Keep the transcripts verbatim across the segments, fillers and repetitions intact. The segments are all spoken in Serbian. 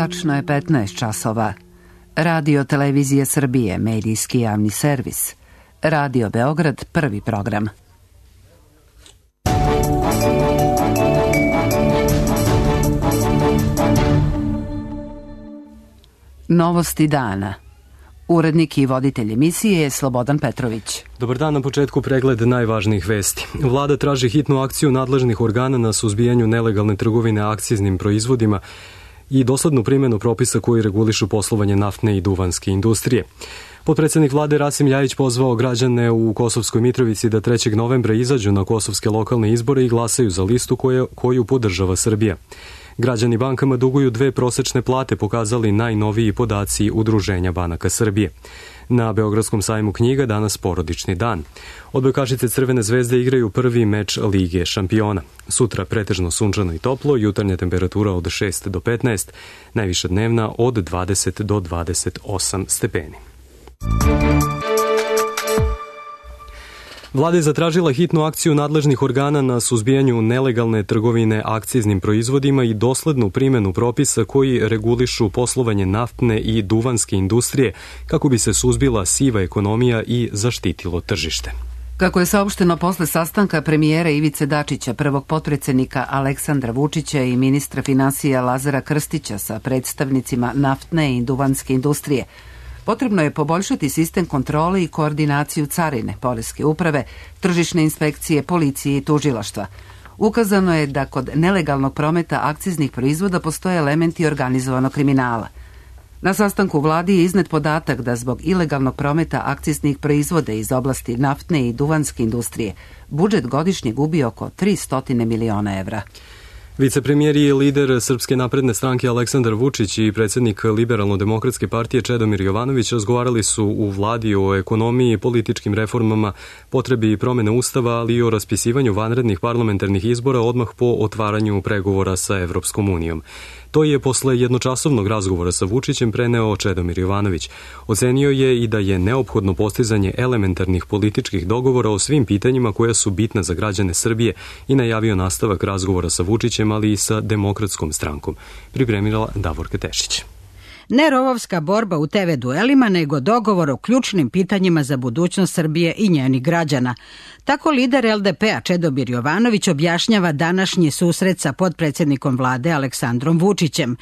Tačno je petnaest časova. Radio Televizije Srbije, medijski javni servis. Radio Beograd, prvi program. Novosti dana. Urednik i voditelj emisije je Slobodan Petrović. Dobar dan, na početku pregled najvažnijih vesti. Vlada traži hitnu akciju nadležnih organa na suzbijanju nelegalne trgovine akciznim proizvodima i doslednu primjenu propisa koji regulišu poslovanje naftne i duvanske industrije. Potpredsednik vlade Rasim Ljajić pozvao građane u Kosovskoj Mitrovici da trećeg novembra izađu na kosovske lokalne izbore i glasaju za listu koju, koju podržava Srbija. Građani bankama duguju dve prosečne plate, pokazali najnoviji podaci Udruženja banaka Srbije. Na Beogradskom sajmu knjiga danas porodični dan. Odbojkašice Crvene zvezde igraju prvi meč Lige šampiona. Sutra pretežno sunčano i toplo, jutarnja temperatura od šest do petnaest, najviša dnevna od dvadeset do dvadeset osam stepeni. Vlada je zatražila hitnu akciju nadležnih organa na suzbijanju nelegalne trgovine akciznim proizvodima i doslednu primjenu propisa koji regulišu poslovanje naftne i duvanske industrije kako bi se suzbila siva ekonomija i zaštitilo tržište. Kako je saopšteno posle sastanka premijera Ivice Dačića, prvog potpredsednika Aleksandra Vučića i ministra finansija Lazara Krstića sa predstavnicima naftne i duvanske industrije, potrebno je poboljšati sistem kontrole i koordinaciju carine, poreske uprave, tržišne inspekcije, policije i tužilaštva. Ukazano je da kod nelegalnog prometa akciznih proizvoda postoje elementi organizovanog kriminala. Na sastanku vladi je iznet podatak da zbog ilegalnog prometa akciznih proizvoda iz oblasti naftne i duvanske industrije budžet godišnje gubi oko tristo miliona evra. Vicepremijer i lider Srpske napredne stranke Aleksandar Vučić i predsjednik Liberalno-demokratske partije Čedomir Jovanović razgovarali su u vladi o ekonomiji, političkim reformama, potrebi promjene ustava, ali i o raspisivanju vanrednih parlamentarnih izbora odmah po otvaranju pregovora sa Evropskom unijom. To je posle jednočasovnog razgovora sa Vučićem preneo Čedomir Jovanović. Ocenio je i da je neophodno postizanje elementarnih političkih dogovora o svim pitanjima koja su bitna za građane Srbije i najavio nastavak razgovora sa Vučićem, ali i sa Demokratskom strankom. Pripremila Davorka Tešić. Ne rovovska borba u te ve duelima, nego dogovor o ključnim pitanjima za budućnost Srbije i njenih građana. Tako lider el de pe-a Čedomir Jovanović objašnjava današnji susret sa potpredsjednikom vlade Aleksandrom Vučićem.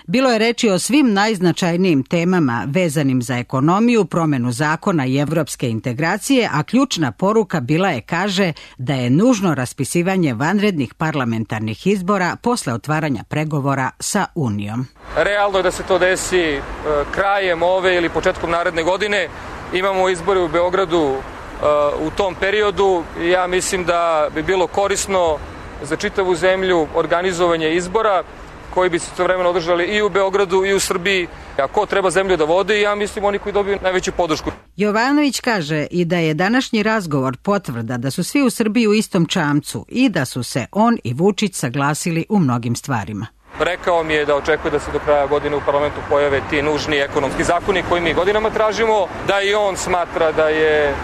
Bilo je reči o svim najznačajnijim temama vezanim za ekonomiju, promjenu zakona i evropske integracije, a ključna poruka bila je, kaže, da je nužno raspisivanje vanrednih parlamentarnih izbora posle otvaranja pregovora sa Unijom. Realno je da se to desi krajem ove ili početkom naredne godine. Imamo izbore u Beogradu u tom periodu. Ja mislim da bi bilo korisno za čitavu zemlju organizovanje izbora koji bi se istovremeno održali i u Beogradu i u Srbiji. A ko treba zemlju da vode? Ja mislim oni koji dobiju najveću podršku. Jovanović kaže i da je današnji razgovor potvrda da su svi u Srbiji u istom čamcu i da su se on i Vučić saglasili u mnogim stvarima. Rekao mi je da očekuje da se do kraja godine u parlamentu pojave ti nužni ekonomski zakoni koji mi godinama tražimo, da i on smatra da je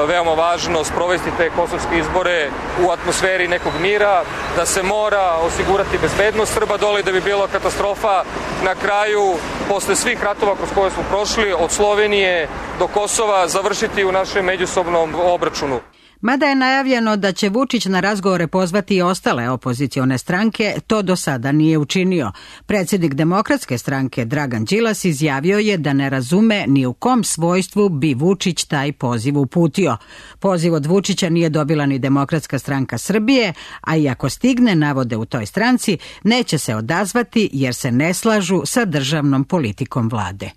veoma važno sprovesti te kosovske izbore u atmosferi nekog mira, da se mora osigurati bezbednost Srba dole, da bi bila katastrofa na kraju, posle svih ratova kroz koje smo prošli, od Slovenije do Kosova, završiti u našem međusobnom obračunu. Mada je najavljeno da će Vučić na razgovore pozvati i ostale opozicione stranke, to do sada nije učinio. Predsjednik Demokratske stranke Dragan Đilas izjavio je da ne razume ni u kom svojstvu bi Vučić taj poziv uputio. Poziv od Vučića nije dobila ni Demokratska stranka Srbije, a i ako stigne, navode u toj stranci, neće se odazvati jer se ne slažu sa državnom politikom vlade.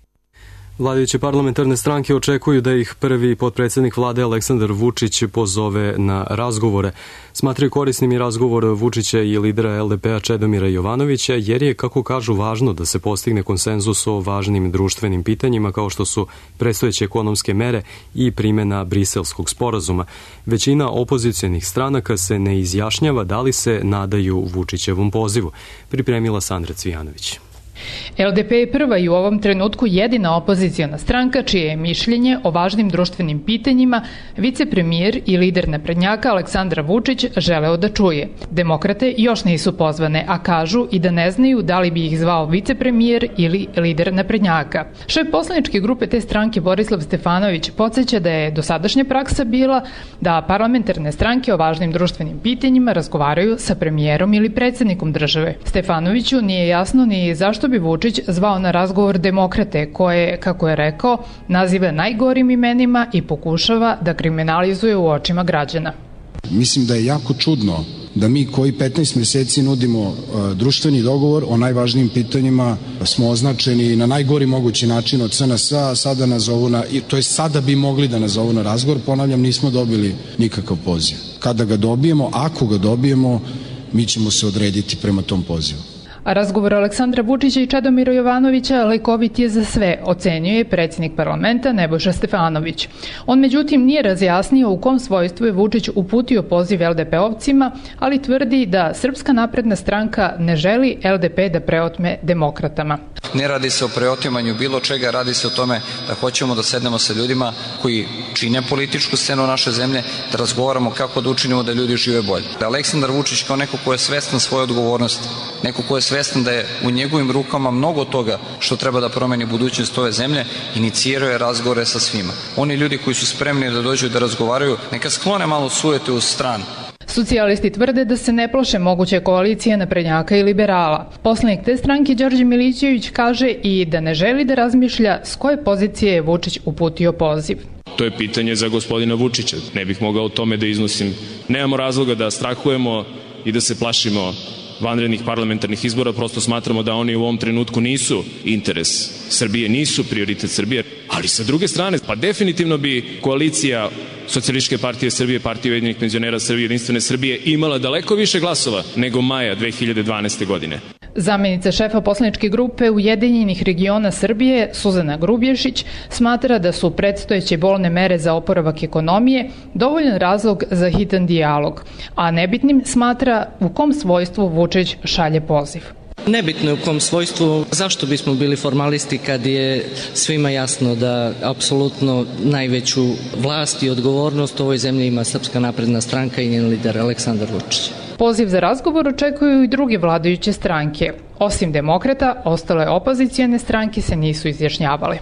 Vladajuće parlamentarne stranke očekuju da ih prvi potpredsjednik vlade Aleksandar Vučić pozove na razgovore. Smatraju korisnim i razgovor Vučića i lidera el de pe-a Čedomira Jovanovića, jer je, kako kažu, važno da se postigne konsenzus o važnim društvenim pitanjima kao što su predstojeće ekonomske mere i primjena Briselskog sporazuma. Većina opozicionih stranaka se ne izjašnjava da li se nadaju Vučićevom pozivu. Pripremila Sandra Cvijanović. L D P je prva i u ovom trenutku jedina opoziciona stranka čije je mišljenje o važnim društvenim pitanjima vicepremijer i lider naprednjaka Aleksandar Vučić želeo da čuje. Demokrate još nisu pozvane, a kažu i da ne znaju da li bi ih zvao vicepremijer ili lider naprednjaka. Šef poslaničke grupe te stranke Borislav Stefanović podsjeća da je dosadašnja praksa bila da parlamentarne stranke o važnim društvenim pitanjima razgovaraju sa premijerom ili predsjednikom države. Stefanoviću nije jasno ni zašto bi Vučić zvao na razgovor demokrate koje, kako je rekao, naziva najgorim imenima i pokušava da kriminalizuje u očima građana. Mislim da je jako čudno da mi koji petnaest meseci nudimo uh, društveni dogovor o najvažnijim pitanjima smo označeni na najgori mogući način od C N S A, sada nazovu na, to je sada bi mogli da nazovu na razgovor, ponavljam, nismo dobili nikakav poziv. Kada ga dobijemo, ako ga dobijemo, mi ćemo se odrediti prema tom pozivu. A razgovor Aleksandra Vučića i Čedomira Jovanovića lekovit je za sve, ocenjuje predsjednik parlamenta Nebojša Stefanović. On međutim nije razjasnio u kom svojstvu je Vučić uputio poziv L D P-ovcima, ali tvrdi da Srpska napredna stranka ne želi L D P da preotme demokratama. Ne radi se o preotimanju bilo čega, radi se o tome da hoćemo da sednemo sa ljudima koji čine političku scenu naše zemlje, da razgovaramo kako da učinimo da ljudi žive bolje. Da Aleksandar Vučić kao neko ko je svestan svoje odgovornosti, neko ko je svestan da je u njegovim rukama mnogo toga što treba da promeni budućnost ove zemlje, inicirao je razgovore sa svima. Oni ljudi koji su spremni da dođu da razgovaraju, neka sklone malo sujete u stranu. Socijalisti tvrde da se ne plaše moguće koalicije naprednjaka i liberala. Poslanik te stranke Đorđe Milićević kaže i da ne želi da razmišlja s koje pozicije je Vučić uputio poziv. To je pitanje za gospodina Vučića. Ne bih mogao o tome da iznosim. Nemamo razloga da strahujemo i da se plašimo vanrednih parlamentarnih izbora, prosto smatramo da oni u ovom trenutku nisu interes Srbije, nisu prioritet Srbije, ali sa druge strane, pa definitivno bi koalicija Socijalističke partije Srbije, Partije ujedinjenih penzionera Srbije, Jedinstvene Srbije imala daleko više glasova nego maja dve hiljade dvanaeste. godine. Zamenica šefa poslaničke grupe Ujedinjenih regiona Srbije, Suzana Grubješić, smatra da su predstojeće bolne mere za oporavak ekonomije dovoljan razlog za hitan dijalog, a nebitnim smatra u kom svojstvu Vučić šalje poziv. Nebitno je u kom svojstvu, zašto bismo bili formalisti kad je svima jasno da apsolutno najveću vlast i odgovornost u ovoj zemlji ima Srpska napredna stranka i njen lider Aleksandar Vučić. Poziv za razgovor očekuju i druge vladajuće stranke. Osim demokrata, ostale opozicijone stranke se nisu izjašnjavale.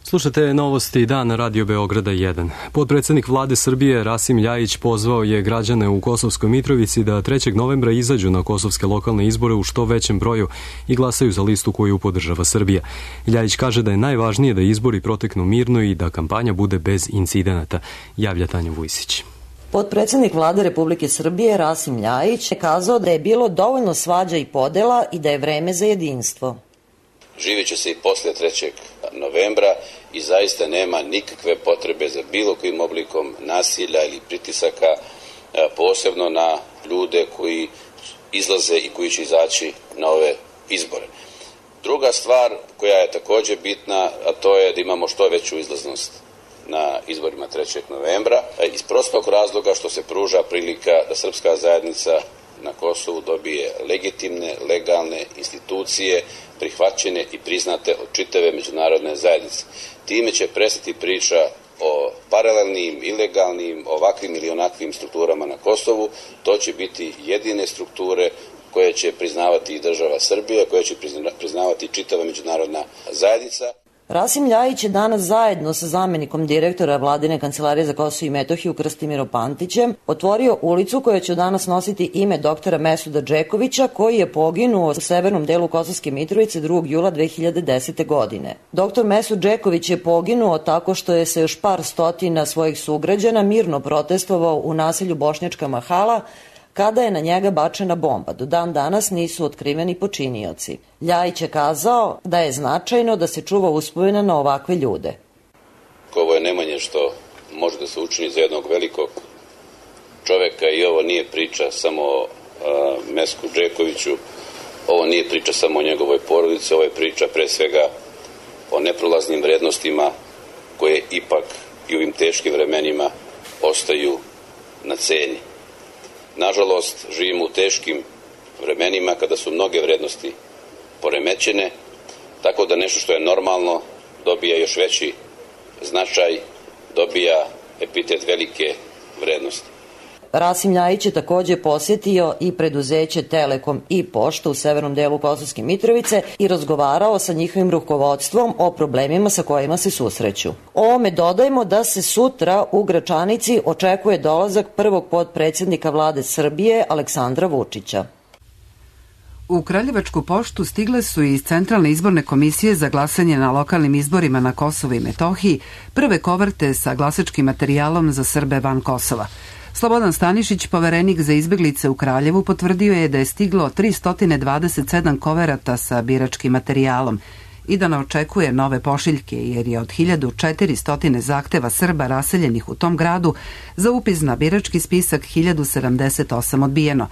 Slušate novosti dana Radio Beograda jedan. Podpredsednik vlade Srbije Rasim Ljajić pozvao je građane u Kosovskoj Mitrovici da trećeg novembra izađu na kosovske lokalne izbore u što većem broju i glasaju za listu koju podržava Srbija. Ljajić kaže da je najvažnije da izbori proteknu mirno i da kampanja bude bez incidenata, javlja Tanja Vujsić. Podpredsednik vlade Republike Srbije Rasim Ljajić je kazao da je bilo dovoljno svađa i podela i da je vreme za jedinstvo. Živjet će se i posle trećeg novembra i zaista nema nikakve potrebe za bilo kojim oblikom nasilja ili pritisaka, posebno na ljude koji izlaze i koji će izaći na ove izbore. Druga stvar koja je također bitna, a to je da imamo što veću izlaznost na izborima trećeg novembra, iz prostog razloga što se pruža prilika da srpska zajednica na Kosovu dobije legitimne, legalne institucije, prihvaćene i priznate od čitave međunarodne zajednice. Time će prestati priča o paralelnim, ilegalnim, ovakvim ili onakvim strukturama na Kosovu. To će biti jedine strukture koje će priznavati i država Srbija, koje će priznavati čitava međunarodna zajednica. Rasim Ljajić je danas zajedno sa zamenikom direktora Vladine kancelarije za Kosovo i Metohiju Krstimirom Pantićem otvorio ulicu koja će danas nositi ime doktora Mesuda Džekovića, koji je poginuo u severnom delu Kosovske Mitrovice drugog jula dve hiljade desete. godine. Doktor Mesud Džeković je poginuo tako što je se još par stotina svojih sugrađana mirno protestovao u naselju Bošnjačka Mahala kada je na njega bačena bomba. Do dan danas nisu otkriveni počinioci. Ljajić je kazao da je značajno da se čuva uspomena na ovakve ljude. Ovo je najmanje što može da se učini za jednog velikog čoveka i ovo nije priča samo o Mesku Džekoviću, ovo nije priča samo o njegovoj porodici, ovo je priča pre svega o neprolaznim vrednostima koje ipak i u ovim teškim vremenima ostaju na ceni. Nažalost, živimo u teškim vremenima kada su mnoge vrednosti poremećene, tako da nešto što je normalno dobija još veći značaj, dobija epitet velike vrednosti. Rasim Ljajić je takođe posjetio i preduzeće Telekom i Pošta u severnom delu Kosovske Mitrovice i razgovarao sa njihovim rukovodstvom o problemima sa kojima se susreću. Ovome dodajmo da se sutra u Gračanici očekuje dolazak prvog potpredsjednika vlade Srbije Aleksandra Vučića. U Kraljevačku poštu stigle su iz Centralne izborne komisije za glasanje na lokalnim izborima na Kosovu i Metohiji prve koverte sa glasačkim materijalom za Srbe van Kosova. Slobodan Stanišić, poverenik za izbeglice u Kraljevu, potvrdio je da je stiglo tristo dvadeset sedam koverata sa biračkim materijalom i da ne očekuje nove pošiljke, jer je od hiljadu četiristo zahteva Srba raseljenih u tom gradu za upis na birački spisak hiljadu sedamdeset osam odbijeno,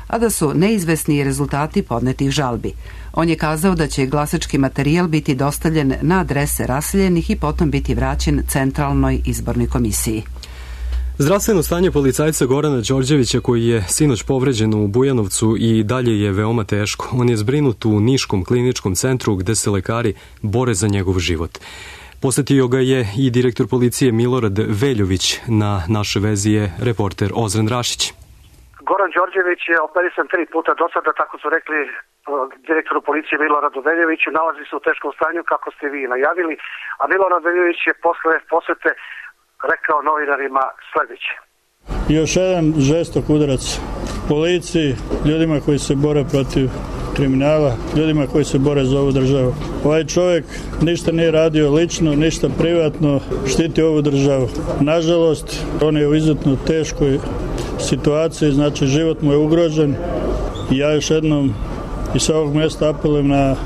a da su neizvesni rezultati podnetih žalbi. On je kazao da će glasački materijal biti dostavljen na adrese raseljenih i potom biti vraćen Centralnoj izbornoj komisiji. Zdravstveno stanje policajca Gorana Đorđevića, koji je sinoć povređen u Bujanovcu, i dalje je veoma teško. On je zbrinut u Niškom kliničkom centru gde se lekari bore za njegov život. Posetio ga je i direktor policije Milorad Veljović. Na našoj vezi je reporter Ozren Rašić. Goran Đorđević je operisan tri puta do sada, tako su rekli direktoru policije Miloradu Veljoviću. Nalazi se u teškom stanju, kako ste vi najavili, a Milorad Veljović je posle posete rekao novinarima sledeće. Još jedan žestok udarac policiji, ljudima koji se bore protiv kriminala, ljudima koji se bore za ovu državu. Ovaj čovjek ništa nije radio lično, ništa privatno, štiti ovu državu. Nažalost, on je u izuzetno teškoj situaciji, znači život mu je ugrožen. I ja još jednom i sa ovog mjesta apelujem na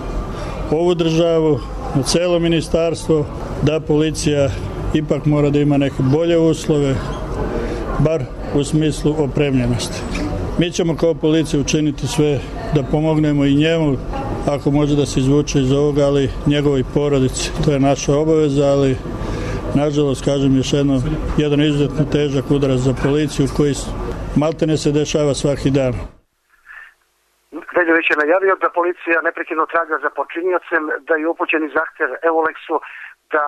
ovu državu, na celo ministarstvo, da policija ipak mora da ima neke bolje uslove, bar u smislu opremljenosti. Mi ćemo kao policija učiniti sve da pomognemo i njemu, ako može da se izvuče iz ovoga, ali njegovoj porodici. To je naša obaveza, ali nažalost, kažem još jedno, jedan izuzetno težak udarac za policiju koji maltene se dešava svaki dan. Veljović je najavio da policija neprekidno traga za počinjocem, da je upućeni zahtev Evolexu da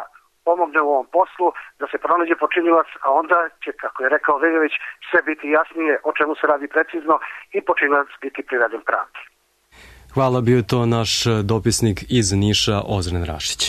pomogne u ovom poslu, da se pronađe počinjilac, a onda će, kako je rekao Veljović, sve biti jasnije o čemu se radi precizno i počinilac biti priveden pravdi. Hvala, bio je to naš dopisnik iz Niša, Ozren Rašić.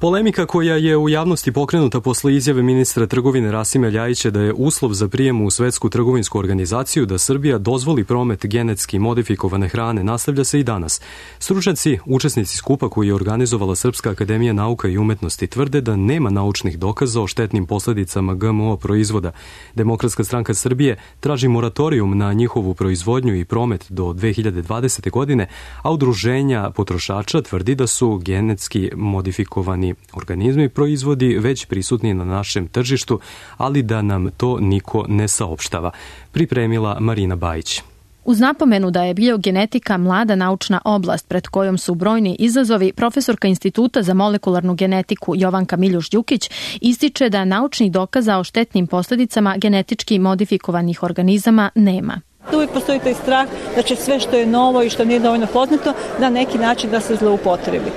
Polemika koja je u javnosti pokrenuta posle izjave ministra trgovine Rasima Ljajića da je uslov za prijem u Svetsku trgovinsku organizaciju da Srbija dozvoli promet genetski modifikovane hrane nastavlja se i danas. Stručnjaci, učesnici skupa koji je organizovala Srpska akademija nauka i umetnosti, tvrde da nema naučnih dokaza o štetnim posledicama G M O proizvoda. Demokratska stranka Srbije traži moratorijum na njihovu proizvodnju i promet do dve hiljade dvadesete. godine, a udruženja potrošača tvrdi da su genetski modifikovani organizmi proizvodi već prisutni na našem tržištu, ali da nam to niko ne saopštava. Pripremila Marina Bajić. Uz napomenu da je biogenetika mlada naučna oblast pred kojom su brojni izazovi, profesorka Instituta za molekularnu genetiku Jovanka Miljuš-Đukić ističe da naučnih dokaza o štetnim posledicama genetički modifikovanih organizama nema. Uvijek postoji taj strah da će sve što je novo i što nije dovoljno poznato na neki način da se zloupotrebi.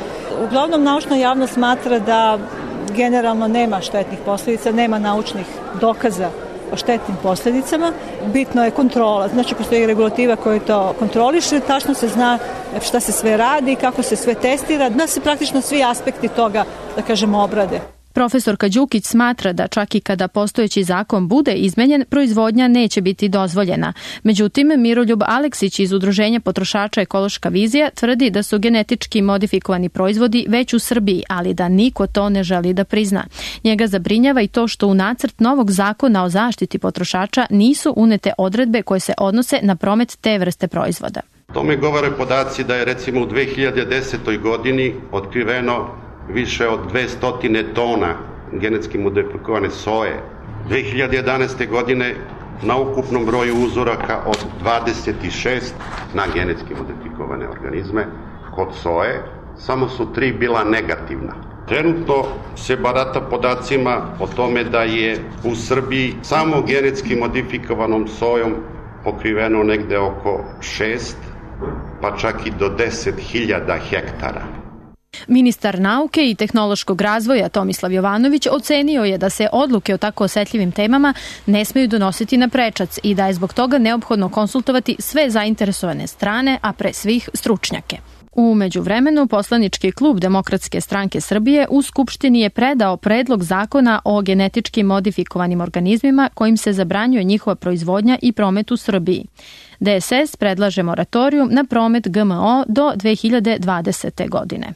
Uglavnom, naučna javnost smatra da generalno nema štetnih posljedica, nema naučnih dokaza o štetnim posljedicama. Bitno je kontrola, znači postoji regulativa koja to kontroliše, tačno se zna šta se sve radi, kako se sve testira, da se praktično svi aspekti toga, da kažemo, obrade. Profesorka Đukić smatra da čak i kada postojeći zakon bude izmenjen, proizvodnja neće biti dozvoljena. Međutim, Miroljub Aleksić iz Udruženja potrošača Ekološka vizija tvrdi da su genetički modifikovani proizvodi već u Srbiji, ali da niko to ne želi da prizna. Njega zabrinjava i to što u nacrt novog zakona o zaštiti potrošača nisu unete odredbe koje se odnose na promet te vrste proizvoda. Tome govore podaci da je recimo u dve hiljade desetoj. godini otkriveno više od dvesta tona genetski modifikovane soje. dve hiljade jedanaeste. godine na ukupnom broju uzoraka od dvadeset šest na genetski modifikovane organizme kod soje, samo su tri bila negativna. Trenutno se barata podacima o tome da je u Srbiji samo genetski modifikovanom sojom pokriveno negde oko šest, pa čak i do deset hiljada hektara. Ministar nauke i tehnološkog razvoja Tomislav Jovanović ocenio je da se odluke o tako osetljivim temama ne smeju donositi na prečac i da je zbog toga neophodno konsultovati sve zainteresovane strane, a pre svih stručnjake. U međuvremenu, poslanički klub Demokratske stranke Srbije u Skupštini je predao predlog zakona o genetički modifikovanim organizmima kojim se zabranjuje njihova proizvodnja i promet u Srbiji. D S S predlaže moratorijum na promet G M O do dve hiljade dvadesete. godine.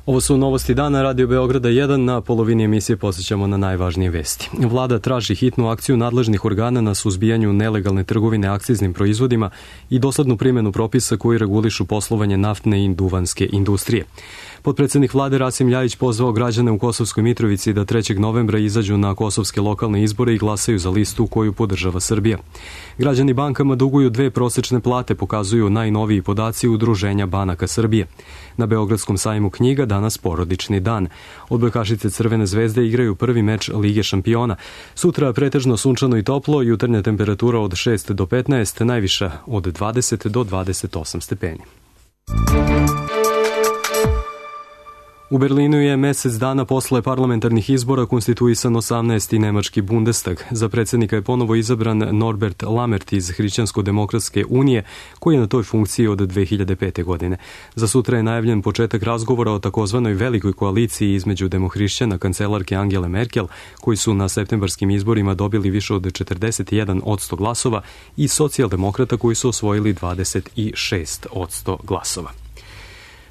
Ovo su novosti dana Radio Beograda jedan. Na polovini emisije posjećamo na najvažnije vesti. Vlada traži hitnu akciju nadležnih organa na suzbijanju nelegalne trgovine akciznim proizvodima i doslednu primjenu propisa koji regulišu poslovanje naftne i duvanske industrije. Potpredsednik vlade Rasim Ljajić pozvao građane u Kosovskoj Mitrovici da trećeg novembra izađu na kosovske lokalne izbore i glasaju za listu koju podržava Srbija. Građani bankama duguju dve prosečne plate, pokazuju najnoviji podaci Udruženja banaka Srbije. Na Beogradskom sajmu knjiga danas porodični dan. Odbojkašice Crvene zvezde igraju prvi meč Lige šampiona. Sutra pretežno sunčano i toplo, jutarnja temperatura od šest do petnaest, najviša od dvadeset do dvadeset osam stepeni. U Berlinu je mesec dana posle parlamentarnih izbora konstituisan osamnaesti nemački Bundestag. Za predsjednika je ponovo izabran Norbert Lammert iz Hrišćansko-demokratske unije, koji je na toj funkciji od dve hiljade pete. godine. Za sutra je najavljen početak razgovora o takozvanoj velikoj koaliciji između demohrišćana kancelarke Angele Merkel, koji su na septembarskim izborima dobili više od četrdeset jedan posto glasova, i socijaldemokrata koji su osvojili dvadeset šest posto glasova.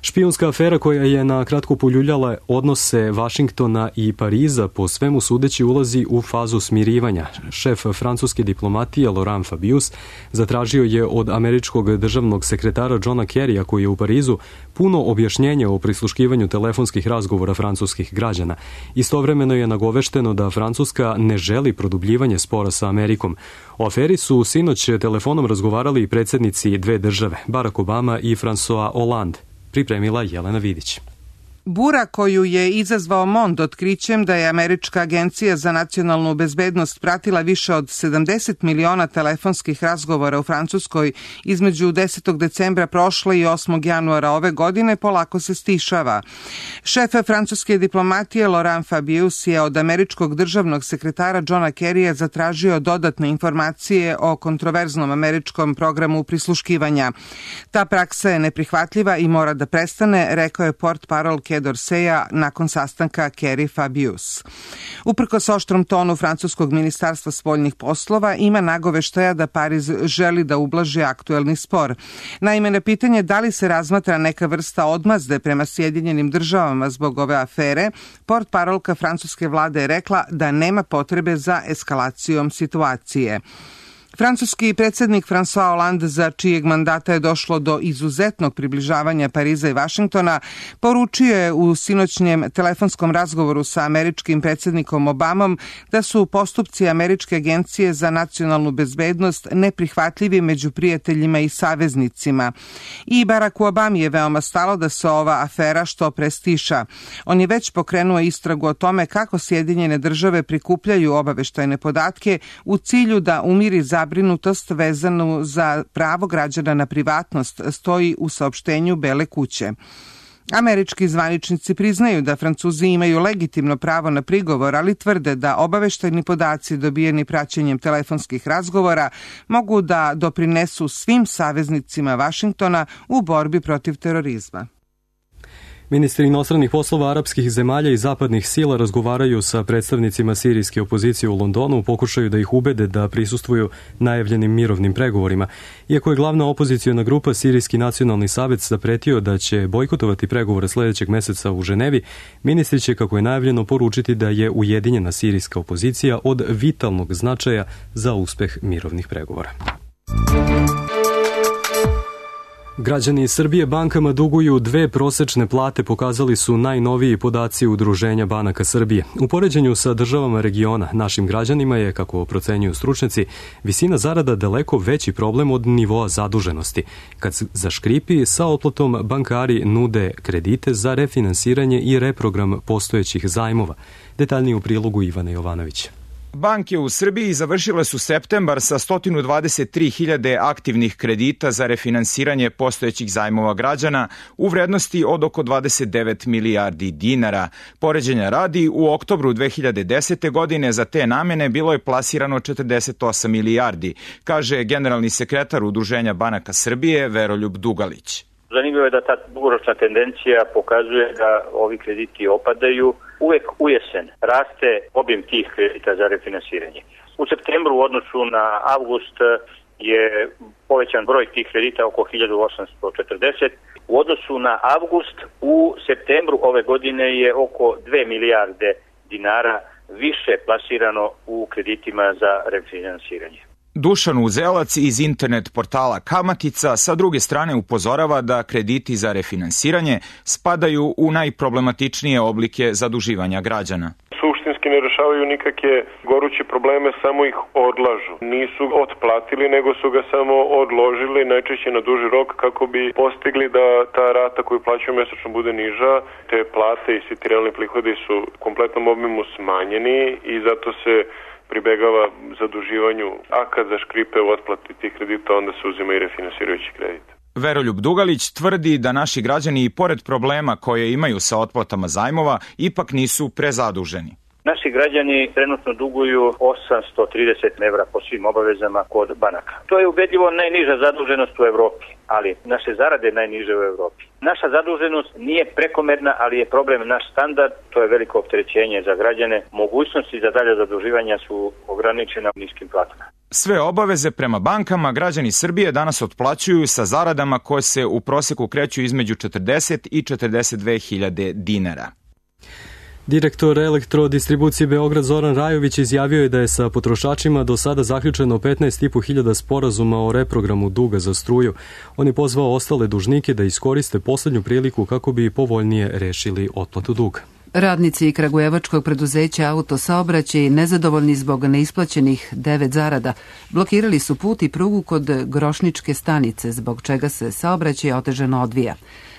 Špijunska afera koja je na kratko poljuljala odnose Vašingtona i Pariza po svemu sudeći ulazi u fazu smirivanja. Šef francuske diplomatije Laurent Fabius zatražio je od američkog državnog sekretara Johna Kerrya, koji je u Parizu, puno objašnjenja o prisluškivanju telefonskih razgovora francuskih građana. Istovremeno je nagovešteno da Francuska ne želi produbljivanje spora sa Amerikom. O aferi su sinoć telefonom razgovarali i predsjednici dve države, Barack Obama i François Hollande. Pripremila Jelena Vidić. Bura koju je izazvao Mond otkrićem da je Američka agencija za nacionalnu bezbednost pratila više od sedamdeset miliona telefonskih razgovora u Francuskoj između desetog decembra prošle i osmog januara ove godine polako se stišava. Šef francuske diplomatije Laurent Fabius je od američkog državnog sekretara Johna Kerrya zatražio dodatne informacije o kontroverznom američkom programu prisluškivanja. Ta praksa je neprihvatljiva i mora da prestane, rekao je portparol Dorseja nakon sastanka Kerry-Fabius. Uprkos oštrom tonu francuskog ministarstva spoljnih poslova, ima nagoveštaja da Pariz želi da ublaži aktuelni spor. Naime, na pitanje da li se razmatra neka vrsta odmazde prema Sjedinjenim državama zbog ove afere, portparolka francuske vlade je rekla da nema potrebe za eskalacijom situacije. Francuski predsjednik François Hollande, za čijeg mandata je došlo do izuzetnog približavanja Pariza i Vašingtona, poručio je u sinoćnjem telefonskom razgovoru sa američkim predsjednikom Obamom da su postupci Američke agencije za nacionalnu bezbednost neprihvatljivi među prijateljima i saveznicima. I Baracku Obami je veoma stalo da se ova afera što pre stiša. On je već pokrenuo istragu o tome kako Sjedinjene države prikupljaju obaveštajne podatke u cilju da umiri za zabrinutost vezanu za pravo građana na privatnost, stoji u saopštenju Bele kuće. Američki zvaničnici priznaju da Francuzi imaju legitimno pravo na prigovor, ali tvrde da obaveštajni podaci dobijeni praćenjem telefonskih razgovora mogu da doprinesu svim saveznicima Vašingtona u borbi protiv terorizma. Ministri inostranih poslova arapskih zemalja i zapadnih sila razgovaraju sa predstavnicima sirijske opozicije u Londonu u pokušaju da ih ubede da prisustvuju najavljenim mirovnim pregovorima. Iako je glavna opoziciona grupa Sirijski nacionalni savez zapretio da će bojkotovati pregovore sljedećeg meseca u Ženevi, ministri će, kako je najavljeno, poručiti da je ujedinjena sirijska opozicija od vitalnog značaja za uspeh mirovnih pregovora. Građani Srbije bankama duguju dve prosečne plate, pokazali su najnoviji podaci Udruženja banaka Srbije. U poređenju sa državama regiona, našim građanima je, kako procenjuju stručnjaci, visina zarada daleko veći problem od nivoa zaduženosti. Kad zaškripi, sa otplatom bankari nude kredite za refinansiranje i reprogram postojećih zajmova. Detaljnije u prilogu Ivana Jovanovića. Banke u Srbiji završile su septembar sa sto dvadeset tri hiljade aktivnih kredita za refinansiranje postojećih zajmova građana u vrednosti od oko dvadeset devet milijardi dinara. Poređenja radi, u oktobru dve hiljade desete. godine za te namene bilo je plasirano četrdeset osam milijardi, kaže generalni sekretar Udruženja banaka Srbije Veroljub Dugalić. Zanimljivo je da ta dugoročna tendencija pokazuje da ovi krediti opadaju. Uvek u jesen raste obim tih kredita za refinansiranje. U septembru u odnosu na avgust je povećan broj tih kredita oko hiljadu osamsto četrdeset. U odnosu na avgust u septembru ove godine je oko dve milijarde dinara više plasirano u kreditima za refinansiranje. Dušan Uzelac iz internet portala Kamatica sa druge strane upozorava da krediti za refinansiranje spadaju u najproblematičnije oblike zaduživanja građana. Suštinski ne rešavaju nikakve goruće probleme, samo ih odlažu. Nisu otplatili, nego su ga samo odložili, najčešće na duži rok, kako bi postigli da ta rata koju plaćaju mesečno bude niža. Te plate i svi ti realni prihodi su u kompletnom obimu smanjeni i zato se pribegava zaduživanju, a kad zaškripe u otplati tih kredita, onda se uzima i refinansirajući kredit. Veroljub Dugalić tvrdi da naši građani i pored problema koje imaju sa otplatama zajmova ipak nisu prezaduženi. Naši građani trenutno duguju osamsto trideset evra po svim obavezama kod banaka. To je ubedljivo najniža zaduženost u Evropi, ali naše zarade najniže u Evropi. Naša zaduženost nije prekomerna, ali je problem naš standard, to je veliko opterećenje za građane. Mogućnosti za dalje zaduživanja su ograničene niskim platama. Sve obaveze prema bankama građani Srbije danas otplaćuju sa zaradama koje se u proseku kreću između četrdeset i četrdeset dve hiljade dinara. Direktor Elektrodistribucije Beograd Zoran Rajović izjavio je da je sa potrošačima do sada zaključeno petnaest i po hiljada sporazuma o reprogramu duga za struju. On je pozvao ostale dužnike da iskoriste poslednju priliku kako bi povoljnije rešili otplatu duga. Radnici kragujevačkog preduzeća Autosaobraćaj, nezadovoljni zbog neisplaćenih devet zarada, blokirali su put i prugu kod Grošničke stanice, zbog čega se saobraćaj otežano odvija.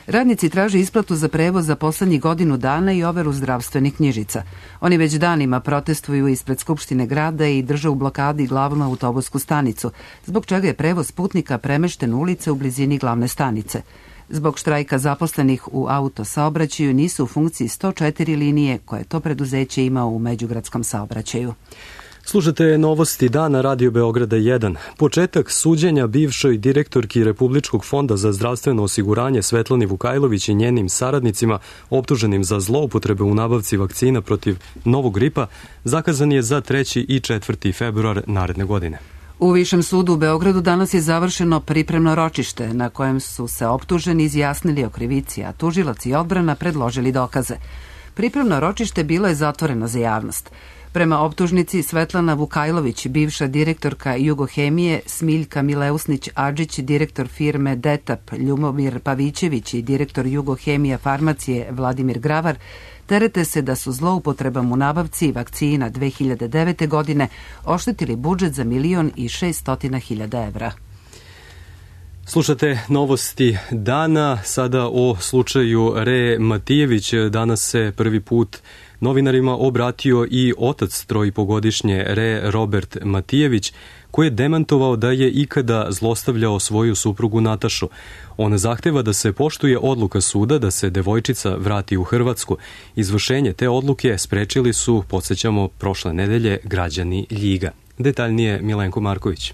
Radnici traže isplatu za prevoz za poslednjih godinu dana i overu zdravstvenih knjižica. Oni već danima protestuju ispred Skupštine grada i drže u blokadi glavnu autobusku stanicu, zbog čega je prevoz putnika premešten u ulice u blizini glavne stanice. Zbog štrajka zaposlenih u autosaobraćaju nisu u funkciji sto četiri linije koje to preduzeće ima u međugradskom saobraćaju. Slušate novosti dana Radio Beograda jedan. Početak suđenja bivšoj direktorki Republičkog fonda za zdravstveno osiguranje Svetlani Vukajlović i njenim saradnicima optuženim za zloupotrebe u nabavci vakcina protiv novog gripa zakazan je za treći i četvrti februar naredne godine. U Višem sudu u Beogradu danas je završeno pripremno ročište na kojem su se optuženi izjasnili o krivici, a tužilac i odbrana predložili dokaze. Pripremno ročište bilo je zatvoreno za javnost. Prema optužnici Svetlana Vukajlović, bivša direktorka Jugohemije, Smiljka Mileusnić-Adžić, direktor firme Detap, Ljubomir Pavićević i direktor Jugohemija farmacije Vladimir Gravar, terete se da su zloupotrebom u nabavci vakcina dve hiljade devete. godine oštetili budžet za milion i šeststotina hiljada evra. Slušate novosti dana, sada o slučaju Re Matijević. Danas se prvi put novinarima obratio i otac trojipogodišnje Re Robert Matijević, koji je demantovao da je ikada zlostavljao svoju suprugu Natašu. On zahteva da se poštuje odluka suda da se devojčica vrati u Hrvatsku. Izvršenje te odluke sprečili su, podsjećamo, prošle nedelje građani Ljiga. Detaljnije Milenko Marković.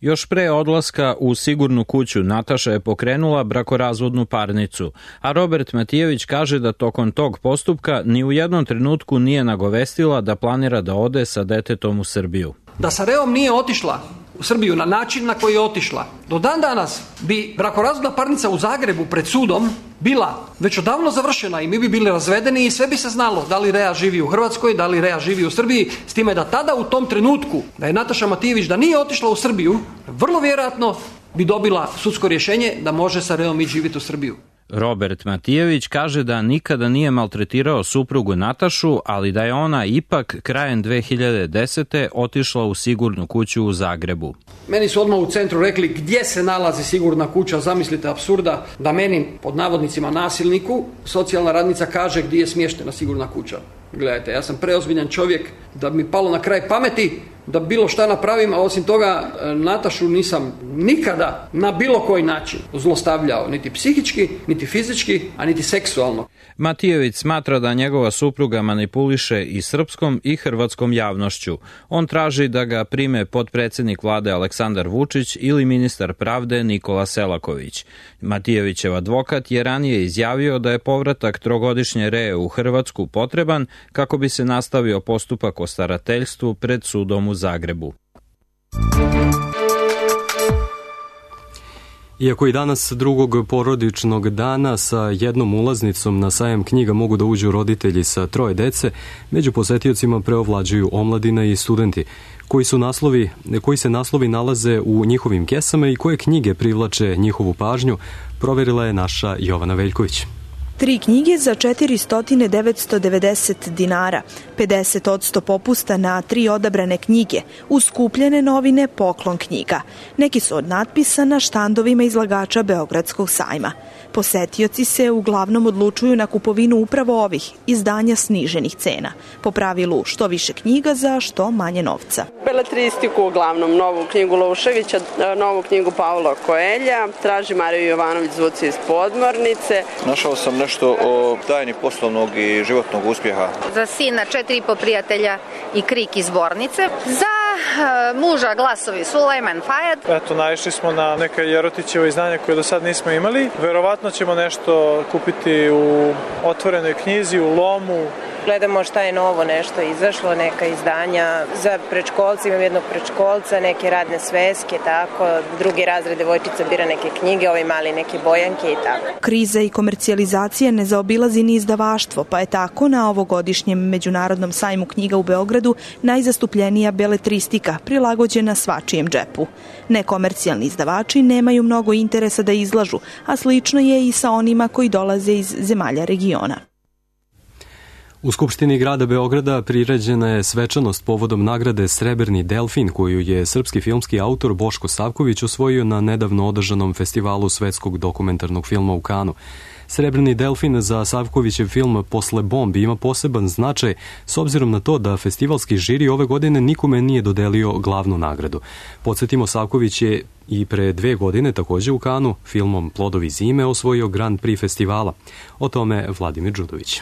Još pre odlaska u sigurnu kuću Nataša je pokrenula brakorazvodnu parnicu, a Robert Matijević kaže da tokom tog postupka ni u jednom trenutku nije nagovestila da planira da ode sa detetom u Srbiju. Da sa Reom nije otišla u Srbiju na način na koji je otišla, do dan danas bi brakorazvodna parnica u Zagrebu pred sudom bila već odavno završena i mi bi bili razvedeni i sve bi se znalo da li Rea živi u Hrvatskoj, da li Rea živi u Srbiji, s time da tada u tom trenutku da je Nataša Matijević da nije otišla u Srbiju, vrlo vjerojatno bi dobila sudsko rješenje da može sa Reom ići živjeti u Srbiju. Robert Matijević kaže da nikada nije maltretirao suprugu Natašu, ali da je ona ipak krajem dve hiljade desete. otišla u sigurnu kuću u Zagrebu. Meni su odmah u centru rekli gdje se nalazi sigurna kuća, zamislite apsurda da meni, pod navodnicima nasilniku, socijalna radnica kaže gdje je smještena sigurna kuća. Gledajte, ja sam preozbiljan čovjek da mi palo na kraj pameti da bilo šta napravim, a osim toga Natašu nisam nikada na bilo koji način zlostavljao, niti psihički, niti fizički, a niti seksualno. Matijević smatra da njegova supruga manipuliše i srpskom i hrvatskom javnošću. On traži da ga prime potpredsednik vlade Aleksandar Vučić ili ministar pravde Nikola Selaković. Matijevićev advokat je ranije izjavio da je povratak trogodišnje Ree u Hrvatsku potreban kako bi se nastavio postupak o starateljstvu pred sudom u Zagrebu. Iako i danas drugog porodičnog dana sa jednom ulaznicom na sajam knjiga mogu da uđu roditelji sa troje dece, među posetiocima preovlađuju omladina i studenti, koji, su naslovi, koji se naslovi nalaze u njihovim kesama i koje knjige privlače njihovu pažnju, proverila je naša Jovana Veljković. Tri knjige za četiristo devetsto devedeset dinara, pedeset odsto popusta na tri odabrane knjige, uz skupljene novine poklon knjiga. Neki su od natpisa na štandovima izlagača Beogradskog sajma. Posetioci se uglavnom odlučuju na kupovinu upravo ovih izdanja sniženih cena. Po pravilu što više knjiga za što manje novca. Beletristiku uglavnom, novu knjigu Lovševića, novu knjigu Paula Koelja, traži Mariju Jovanović Zvuci iz podmornice. Našao sam nešto o tajni poslovnog i životnog uspjeha. Za sina četiri i po prijatelja i Krik iz Zbornice. Za muža Glasovi Sulejman Fajad. Eto, naišli smo na neka Jerotićeva izdanja koje do sad nismo imali. Verovatno ćemo nešto kupiti u otvorenoj knjizi, u Lomu. Gledamo šta je novo nešto izašlo, neka izdanja za predškolce, imam jednog predškolca, neke radne sveske, tako, drugi razred devojčica bira neke knjige, ovi mali neke bojanke i tako. Kriza i komercijalizacija ne zaobilazi ni izdavaštvo, pa je tako na ovogodišnjem Međunarodnom sajmu knjiga u Beogradu najzastupljenija beletristika, prilagođena svačijem džepu. Nekomercijalni izdavači nemaju mnogo interesa da izlažu, a slično je i sa onima koji dolaze iz zemalja regiona. U Skupštini grada Beograda priređena je svečanost povodom nagrade Srebrni delfin koju je srpski filmski autor Boško Savković osvojio na nedavno održanom festivalu svetskog dokumentarnog filma u Kanu. Srebrni delfin za Savkovićev film Posle bombi ima poseban značaj s obzirom na to da festivalski žiri ove godine nikome nije dodelio glavnu nagradu. Podsjetimo, Savković je i pre dve godine takođe u Kanu filmom Plodovi zime osvojio Grand Prix festivala. O tome Vladimir Đudović.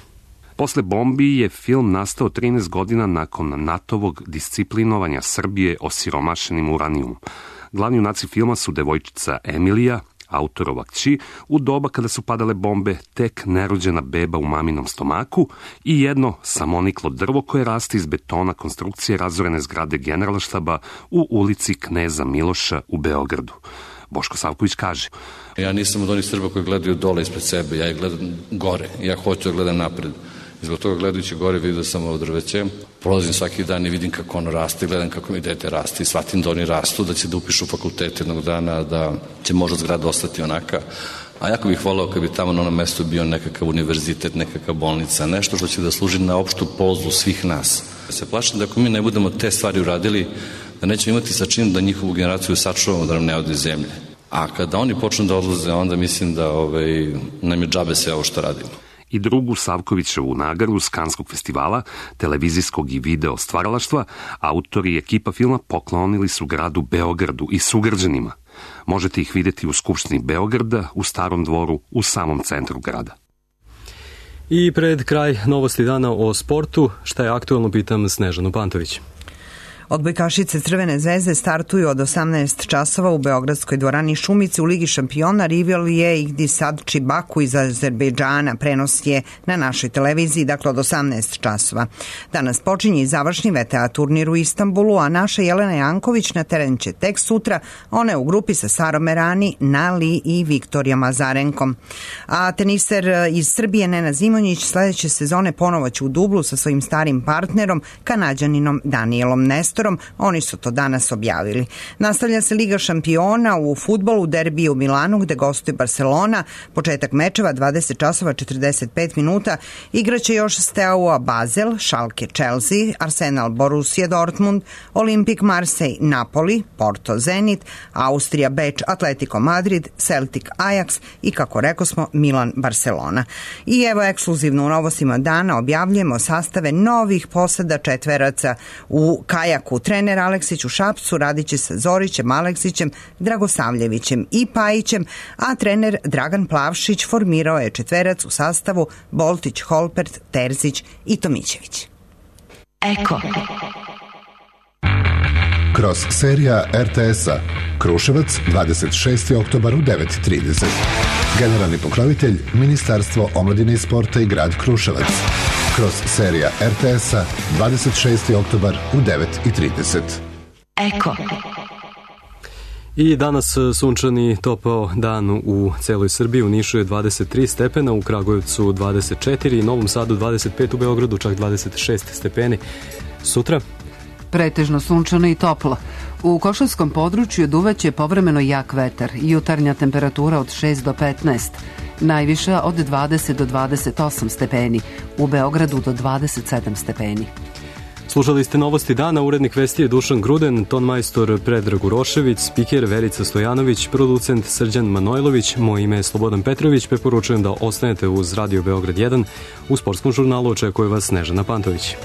Posle bombi je film nastao trinaest godina nakon NATO-vog disciplinovanja Srbije osiromašenim uranijumom. Glavni junaci filma su devojčica Emilija, autorova kći, u doba kada su padale bombe, tek nerođena beba u maminom stomaku i jedno samoniklo drvo koje raste iz betona konstrukcije razorene zgrade Generalštaba u ulici Kneza Miloša u Beogradu. Boško Savković kaže: Ja nisam od onih Srba koji gledaju dole ispred sebe, ja ih gledam gore, ja hoću da gledam napred. I zbog toga gledajući gore vidio sam ovo drveće, prolazim svaki dan i vidim kako ono raste, gledam kako mi dete raste i shvatim da oni rastu, da će da upišu fakultet jednog dana, da će možda zgrada ostati onaka. A jako bih volao kad bi tamo na onom mestu bio nekakav univerzitet, nekakva bolnica, nešto što će da služi na opštu polzu svih nas. Se plašim da ako mi ne budemo te stvari uradili, da nećemo imati sa čim da njihovu generaciju sačuvamo da nam ne ode iz zemlje. A kada oni počnu da odlaze, onda mislim da ovaj, nam je džabe sve ovo što radimo. I drugu Savkovićevu nagradu s Kanskog festivala, televizijskog i video stvaralaštva, autori i ekipa filma poklonili su gradu Beogradu i sugrađanima. Možete ih vidjeti u Skupštini Beograda, u Starom dvoru, u samom centru grada. I pred kraj novosti dana o sportu, šta je aktualno, pitam Snežanu Pantović. Odbojkašice Crvene zvezde startuju od osamnaest časova u beogradskoj dvorani Šumice u Ligi šampiona. Rival je Ihdisad Čibaku iz Azerbejdžana. Prenos je na našoj televiziji, dakle od osamnaest časova. Danas počinje i završni V T A turnir u Istanbulu, a naša Jelena Janković na teren će tek sutra. Ona je u grupi sa Sarom Merani, Nali i Viktorijom Azarenkom. A teniser iz Srbije Nenad Zimonjić sledeće sezone ponovo će u dublu sa svojim starim partnerom, Kanađaninom Danielom Nestorom, prostorom, oni su to danas objavili. Nastavlja se Liga šampiona u fudbalu, derbi u Milanu gde gostuje Barcelona. Početak mečeva dvadeset časova četrdeset pet minuta. Igraće još Steaua Basel, Schalke Chelsea, Arsenal Borussia Dortmund, Olimpik Marseille Napoli, Porto Zenit, Austrija Beč Atletico Madrid, Celtic Ajax i kako rekosmo Milan Barcelona. I evo ekskluzivno u novostima dana objavljujemo sastave novih posada četveraca u kajaku. Trener Aleksić u Šapcu radit će sa Zorićem, Aleksićem, Dragosavljevićem i Pajićem, a trener Dragan Plavšić formirao je četverac u sastavu Boltić, Holpert, Terzić i Tomićević. Eko. Kroz serija er te es-a Kruševac, dvadeset šesti oktobar u devet i trideset. Generalni pokrovitelj Ministarstvo omladine i sporta i grad Kruševac. Kroz serija er te es-a dvadeset šesti oktobar u devet i trideset. Eko. I danas sunčani topao dan u celoj Srbiji. U Nišu je dvadeset tri stepena, u Kragujevcu dvadeset četiri, Novom Sadu dvadeset pet, u Beogradu čak dvadeset šest stepeni. Sutra pretežno sunčano i toplo. U Košavskom području duvaće povremeno jak vetar, jutarnja temperatura od šest do petnaest, najviša od dvadeset do dvadeset osam stepeni, u Beogradu do dvadeset sedam stepeni. Slušali ste novosti dana, urednik vesti je Dušan Gruden, tonmajstor Predrag Urošević, spiker Verica Stojanović, producent Srđan Manojlović, moje ime je Slobodan Petrović, preporučujem da ostanete uz Radio Beograd jedan, u sportskom žurnalu očekuje vas Snežana Pantović.